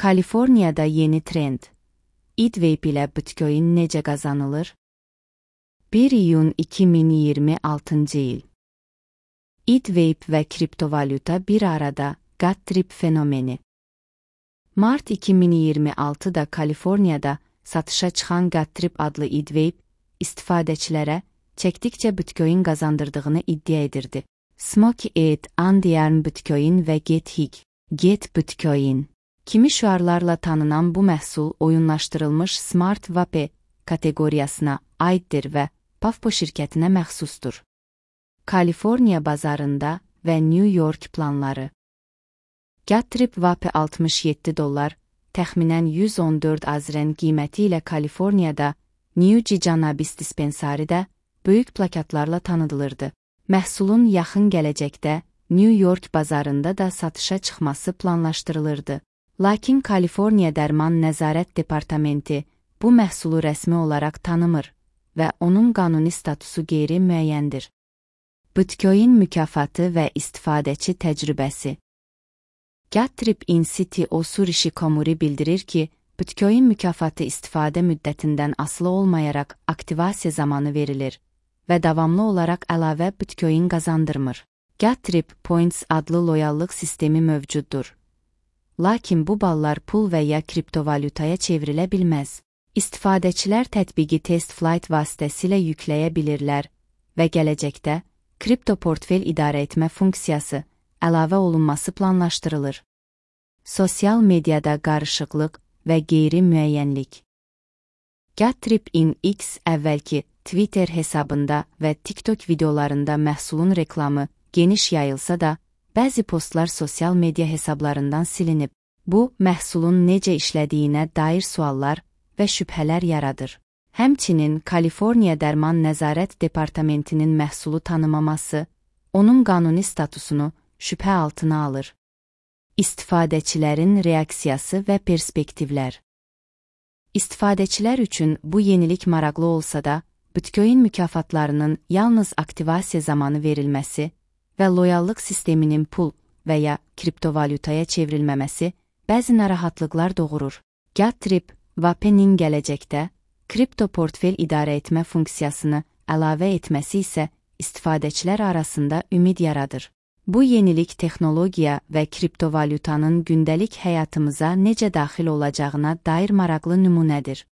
Kaliforniyada yeni trend. Eatwave ilə Bitcoin necə qazanılır? 1 iyun 2026 il. Eatwave və kriptovalyuta bir arada GatTrip fenomeni. Mart 2026-da Kaliforniyada satışa çıxan GatTrip adlı Eatwave istifadəçilərə çəkdikcə Bitcoin qazandırdığını iddia edirdi. Smoky Eat, Andiarm Bitcoin və Get Bitcoin kimi şüarlarla tanınan bu məhsul oyunlaşdırılmış Smart Vape kateqoriyasına aiddir və Pavpo şirkətinə məxsusdur. Kaliforniya bazarında və New York planları. GatTrip Vape $67, təxminən 114 azren qiyməti ilə Kaliforniyada New Cannabis dispensaridə böyük plakatlarla tanıdılırdı. Məhsulun yaxın gələcəkdə New York bazarında da satışa çıxması planlaşdırılırdı. Lakin Kaliforniya Dərman Nəzarət Departamenti bu məhsulu rəsmi olaraq tanımır və onun qanuni statusu qeyri-müəyyəndir. Bitcoin mükafatı və istifadəçi təcrübəsi. GatTrip City Osurişi Komuri bildirir ki, Bitcoin mükafatı istifadə müddətindən asılı olmayaraq aktivasiya zamanı verilir və davamlı olaraq əlavə Bitcoin qazandırmır. GatTrip Points adlı loyallıq sistemi mövcuddur. Lakin bu ballar pul və ya kriptovalyutaya çevrilə bilməz. İstifadəçilər tətbiqi TestFlight vasitəsilə yükləyə bilirlər və gələcəkdə kripto portfel idarə etmə funksiyası əlavə olunması planlaşdırılır. Sosial mediada qarışıqlıq və qeyri-müəyyənlik. GatTrip X əvvəlki Twitter hesabında və TikTok videolarında məhsulun reklamı geniş yayılsa da, bəzi postlar sosial media hesablarından silinib. Bu, məhsulun necə işlədiyinə dair suallar və şübhələr yaradır. Həmçinin Kaliforniya Dərman Nəzarət Departamentinin məhsulu tanımaması, onun qanuni statusunu şübhə altına alır. İstifadəçilərin reaksiyası və perspektivlər. İstifadəçilər üçün bu yenilik maraqlı olsa da, Bitcoin mükafatlarının yalnız aktivasiya zamanı verilməsi və loyallıq sisteminin pul və ya kriptovalyutaya çevrilməməsi bəzi narahatlıqlar doğurur. GatTrip Vape'nin gələcəkdə kripto portfel idarə etmə funksiyasını əlavə etməsi isə istifadəçilər arasında ümid yaradır. Bu yenilik texnologiya və kriptovalyutanın gündəlik həyatımıza necə daxil olacağına dair maraqlı nümunədir.